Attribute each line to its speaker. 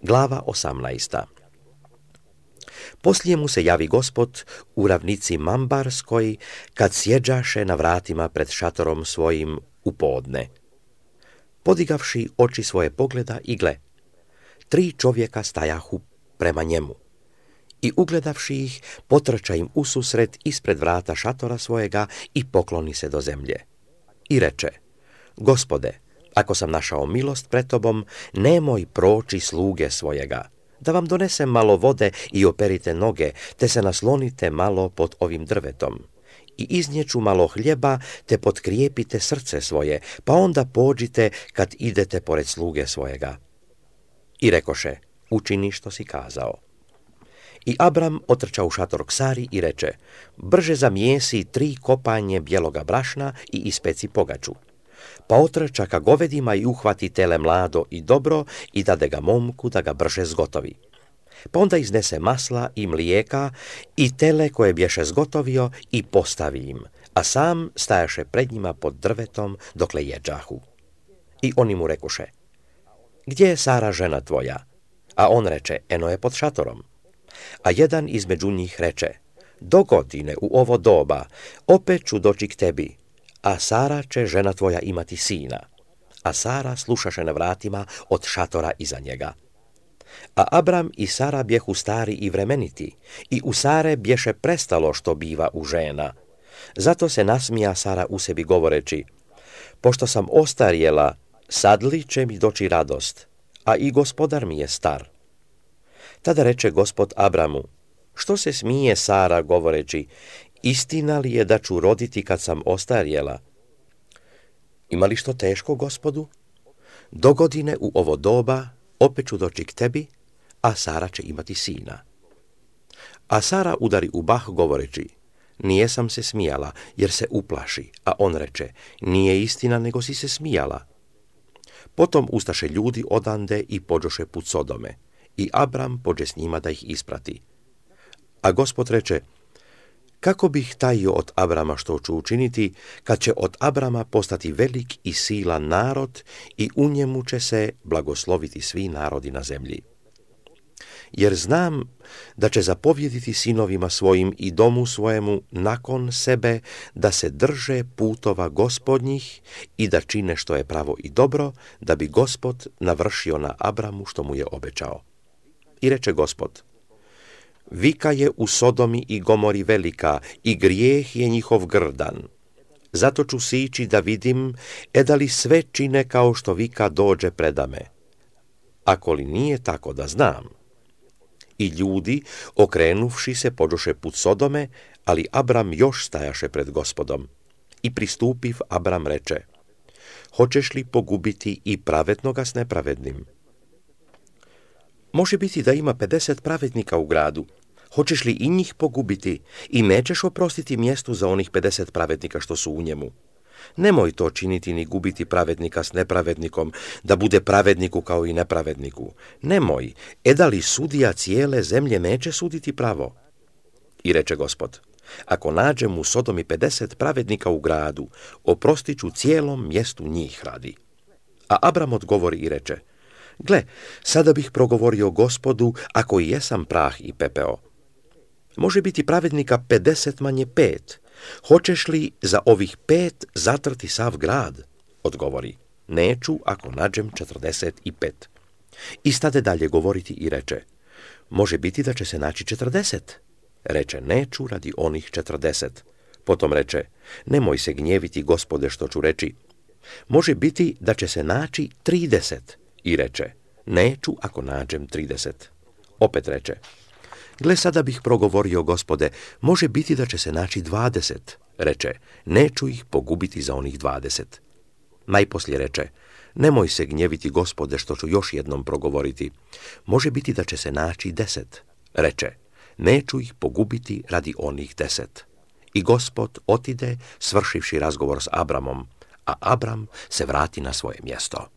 Speaker 1: Glava 18. Poslije mu se javi Gospod u ravnici Mambarskoj, kad sjeđaše na vratima pred šatorom svojim u podne. Podigavši oči svoje pogleda i gle, 3 čovjeka stajahu prema njemu. I ugledavši ih, potrča im ususret ispred vrata šatora svojega i pokloni se do zemlje. I reče: Gospode, ako sam našao milost pred tobom, nemoj proći sluge svojega, da vam donesem malo vode i operite noge, te se naslonite malo pod ovim drvetom. I iznjeću malo hljeba, te potkrijepite srce svoje, pa onda pođite kad idete pored sluge svojega. I rekoše: učini što si kazao. I Abram otrča u šator k Sari i reče: brže zamijesi 3 kopanje bijeloga brašna i ispeci pogaču. Pa otrča ka govedima i uhvati tele mlado i dobro i dade ga momku da ga brže zgotovi. Pa onda iznese masla i mlijeka i tele koje bješe zgotovio i postavi im, a sam stajaše pred njima pod drvetom dokle jeđahu. I oni mu rekoše: gdje je Sara žena tvoja? A on reče: eno je pod šatorom. A jedan između njih reče: dogodine u ovo doba, opet ću doći k tebi, a Sara će žena tvoja imati sina. A Sara slušaše na vratima od šatora iza njega. A Abram i Sara bjehu stari i vremeniti, i u Sare bješe prestalo što biva u žena. Zato se nasmija Sara u sebi govoreći: pošto sam ostarjela, sad li će mi doći radost, a i gospodar mi je star. Tada reče Gospod Abramu: što se smije Sara govoreći: istina li je da ću roditi kad sam ostarjela? Ima li što teško Gospodu? Dogodine u ovo doba, opet ću doći k tebi, a Sara će imati sina. A Sara udari u bah govoreći: nije sam se smijala, jer se uplaši. A on reče: nije istina, nego si se smijala. Potom ustaše ljudi odande i pođoše put Sodome. I Abram pođe s njima da ih isprati. A Gospod reče: kako bih tajio od Abrama što ću učiniti, kad će od Abrama postati velik i silan narod i u njemu će se blagosloviti svi narodi na zemlji. Jer znam da će zapovjediti sinovima svojim i domu svojemu nakon sebe da se drže putova Gospodnjih i da čine što je pravo i dobro, da bi Gospod navršio na Abramu što mu je obećao. I reče Gospod: vika je u Sodomi i Gomori velika i grijeh je njihov grdan. Zato ću sići da vidim, da li sve čine kao što vika dođe predame. Ako li nije tako da znam. I ljudi, okrenuvši se, pođoše put Sodome, ali Abram još stajaše pred Gospodom. I pristupiv, Abram reče: hoćeš li pogubiti i pravednoga s nepravednim? Može biti da ima 50 pravednika u gradu. Hoćeš li i njih pogubiti i nećeš oprostiti mjestu za onih 50 pravednika što su u njemu? Nemoj to činiti ni gubiti pravednika s nepravednikom, da bude pravedniku kao i nepravedniku. Nemoj, da li sudija cijele zemlje neće suditi pravo? I reče Gospod: ako nađem u Sodomi 50 pravednika u gradu, oprostit ću cijelom mjestu njih radi. A Abram odgovori i reče: gle, sada bih progovorio Gospodu, ako i jesam prah i pepeo. Može biti pravednika 50 manje 5. Hoćeš li za ovih 5 zatrti sav grad? Odgovori: neću ako nađem 45. I stade dalje govoriti i reče: može biti da će se naći 40. Reče: neću radi onih 40. Potom reče: nemoj se gnjeviti, Gospode, što ću reći. Može biti da će se naći 30. I reče: neću ako nađem 30. Opet reče: gle, sada bih progovorio, Gospode, može biti da će se naći 20. Reče: neću ih pogubiti za onih 20. Najposlije reče: nemoj se gnjeviti, Gospode, što ću još jednom progovoriti. Može biti da će se naći 10. Reče: neću ih pogubiti radi onih 10. I Gospod otide, svršivši razgovor s Abramom, a Abram se vrati na svoje mjesto.